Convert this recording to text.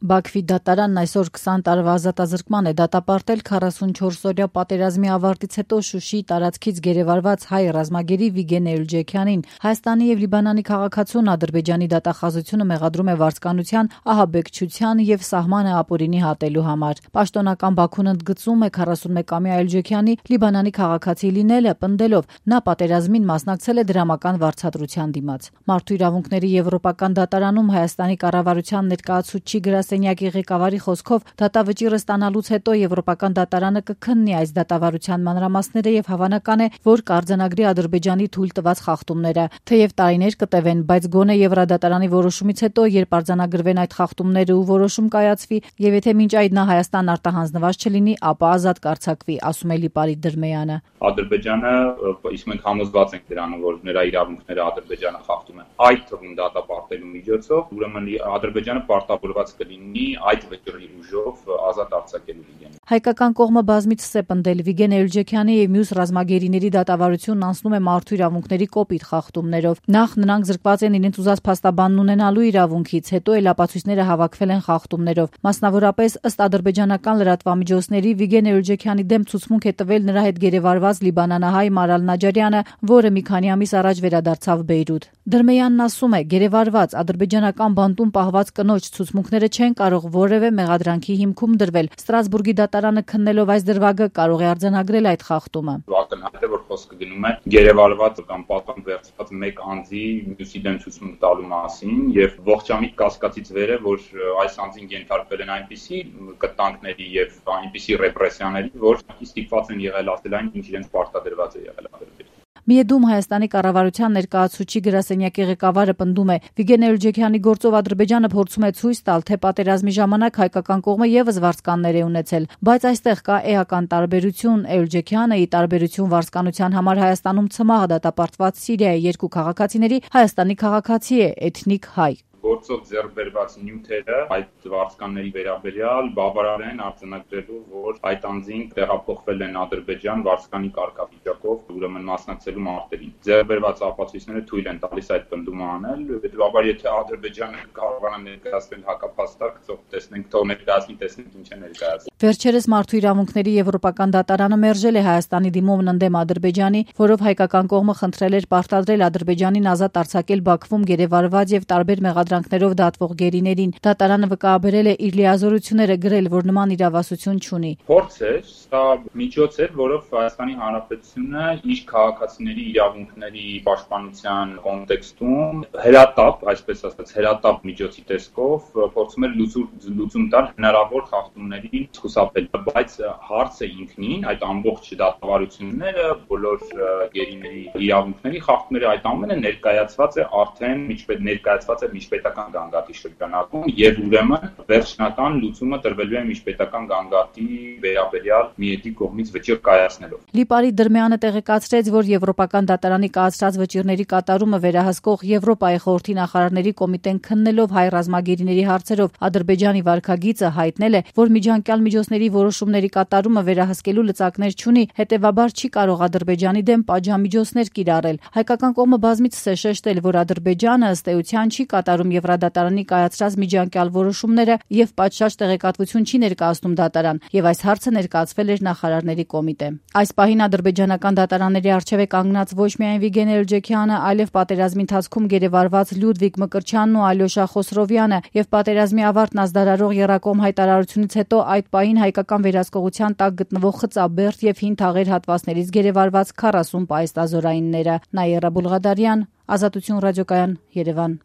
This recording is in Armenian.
Բաքվի դատարանն այսօր 20 տարվա ազատազրկման է դատապարտել 44-օրյա պատերազմի ավարտից հետո Շուշիի տարածքից գերեվարված հայ ռազմագերի Վիգեն Էլջեքյանին։ Հայաստանի եւ Լիբանանի քաղաքացուն Ադրբեջանի դատախազությունը մեղադրում է վարձկանության, ահաբեկչության եւ սահմանը ապօրինի հատելու համար։ Պաշտոնական Բաքուն ընդգծում է 41-ամյա Էլջեքյանի Լիբանանի քաղաքացի լինելը, պնդելով նա պատերազմին մասնակցել է դրամական վարձատրության դիմաց։ Մարդու իրավունքների եվրոպական դատարանում Հայաստանի կառավարության ներկայացուցիչ գրասենյակի ղեկավարի խոսքով դատավճիռը ստանալուց հետո Եվրոպական դատարանը կքննի այս դատավարության մանրամասները եւ հավանական է, որ կարձանագրի Ադրբեջանի թույլ տված խախտումները։ Թեև տարիներ կտևեն, բայց գոնե Եվրադատարանի որոշումից հետո, երբ արձանագրվեն այդ խախտումները ու որոշում կայացվի, եւ եթե մինչ այդ նա Հայաստան արտահանձնված չլինի, ապա ազատ կարձակվի, ասում է Լիպարիտ Դրմեյանը։ Ադրբեջանը, իսկ մենք համոզված ենք դրանով, որ նրա իրավունքները Ադրբեջանը խախտում է, այդ թվում դատապարտելու միջոցով, ուրեմն Ադրբեջանը պարտավորված կլինի այդ վճռի ուժով ազատ արձակելու Վիգենին։ Հայկական կողմը բազմիցս է պնդել Վիգեն Էլջեքյանի եւ մյուս ռազմագերիների դատավարությունն անցնում է մարդու իրավունքների կոպիտ խախտումներով։ Նախ նրանք զրկված են իրենց ուզած փաստաբանն ունենալու իրավունքից, հետո էլ ապացույցները հավաքվել են խախտումներով։ Մասնավորապես ըստ ադրբեջանական լրատվամիջոցների Վիգեն Էլջեքյանի դեմ ցուցմունք է տվել նրա հետ գերեվարված լիբանանահայ Մարալ Նաջարյանը, որը մի քանի ամիս առաջ վերադարձավ Բեյրութ։ Դրմեյանն ասում է, գերեվարված ադրբեջանական բանտում պահված կնոջ ցուցմունքները չեն կարող որևէ մեղադրանքի հիմքում դրվել։ Ստրասբուրգի դատարանը քննելով այս դրվագը կարող է արձանագրել այդ խախտումը։ Ակնհայտ է, որ խոսքը գնում է գերեվարված կամ պատվան վերցված մեկ անձի մյուսի դեմ ցուցմունք տալու մասին եւ ողջամիտ կասկածից վեր է, որ այս անձին ենթարկվել են այնպիսի կտանքների եւ այնպիսի ռեպրեսիաների, որ ստիպված են եղել ասել այն, ինչ իրենց պարտադրված է եղել Ադրբեջանը։ Միեդում Հայաստանի կառավարության ներկայացուցիչ գրասենյակի ղեկավարը պնդում է, Վիգեն Էլջեքյանի գործով Ադրբեջանը փորձում է ցույց տալ, թե պատերազմի ժամանակ հայկական կողմը եւս վարձկաններ է ունեցել, բայց այստեղ կա էական տարբերություն։ Էլջեքյանը ի տարբերություն վարձկանության համար Հայաստանում ցմահ դատապարտված Սիրիայի երկու քաղաքացիների Հայաստանի քաղաքացի է, էթնիկ հայ։ Գործով ձեռք բերված նյութերը այդ վարձկանների վերաբերյալ բավարար են արձանագրելու, որ այդ անձին տեղափոխվել են Ադրբեջան վարձկանի կարգավիճակով, ուրեմն մասնակցելու մարտերին։ Ձեռք բերված ապացույցները թույլ են տալիս այդ պնդումը անել, հետեւաբար եթե Ադրբեջանը կարողանա ներկայացնել հակապաստակ, տեսնենք, թող ներկայացնի, տեսնենք ինչ է ներկայացնում։ Վերջերս մարդու իրավունքների եվրոպական դատարանը մերժել է Հայաստանի դիմումն ընդդեմ Ադրբեջանի, որով հայկական կողմը խնդրել էր պարտադրել Ադրբեջանին ազատ արձակել Բաքվում գերեվարված եւ տարբեր մեղադրանքներով դատվող գերիներին։ Դատարանը վկայաբերել է իր լիազորությունները, գրել, որ նման իրավասություն չունի։ Փորձ է, սա միջոց է, որով Հայաստանի Հանրապետությունը իր քաղաքացիների իրավունքների պաշտպանության կոնտեքստում հրատապ, այսպես ասած, հրատապ միջոցի տեսքով փորձում էր լուծում տալ հնարավոր խախտումների խուսափել, բայց հարցը ինքնին, այդ ամբողջ դատավարությունները, բոլոր գերիների իրավունքների խախտումները, այդ ամենը ներկայացված է արդեն միջպետական գանգատի շրջանակում եւ ուրեմն վերջնական լուծումը տրվելու է միջպետական գանգատի վերաբերյալ Միեդի կողմից վճիռ կայացնելով։ Լիպարիտ Դրմեյանը տեղեկացրեց, որ Եվրոպական դատարանի կայացրած վճիռների կատարումը վերահսկող Եվրոպայի խորհրդի նախարարների կոմիտեն քննելով հայ ռազմագերիների հարցերով Ադրբեջանի վարքագիծը հայտնել է, որ միջանկյալ միջոցների որոշումների կատարումը վերահսկելու լծակներ չունի, հետեւաբար չի կարող Ադրբեջանի դեմ պատժամիջոցներ կիրառել։ Հայկական կողմը բազմիցս է շեշտել, որ Ադրբեջանը ըստ էության չի կատարում Եվրադատարանի կայացրած միջանկյալ որոշումները եւ պատշաճ տեղեկատվություն չի ներկայացնում դատարան, եւ այս հարցը ներկայացվել էր նախարարների կոմիտե։ Այս պահին ադրբեջանական դատարանների առջեւ է կանգնած ոչ միայն Վիգեն Էլջեքյանը, այլև պատերազմի ընթացքում գերեվարված Լյուդվիգ Մկրտչյանն ու Ալյոշա Խոսրովյանը, եւ պատերազմի ավարտն ազդարարող Եռակոմ հայտարարությունից հետո այդ պահին հայկական վերահսկողության տակ գտնվող Խծաբերդ եւ Հին Թաղեր հատվածներից գերեվարված 40 պայստազորայինները։ Նաիրա Բուլղադարյան, Ազատություն ռադիոկայան, Երևան։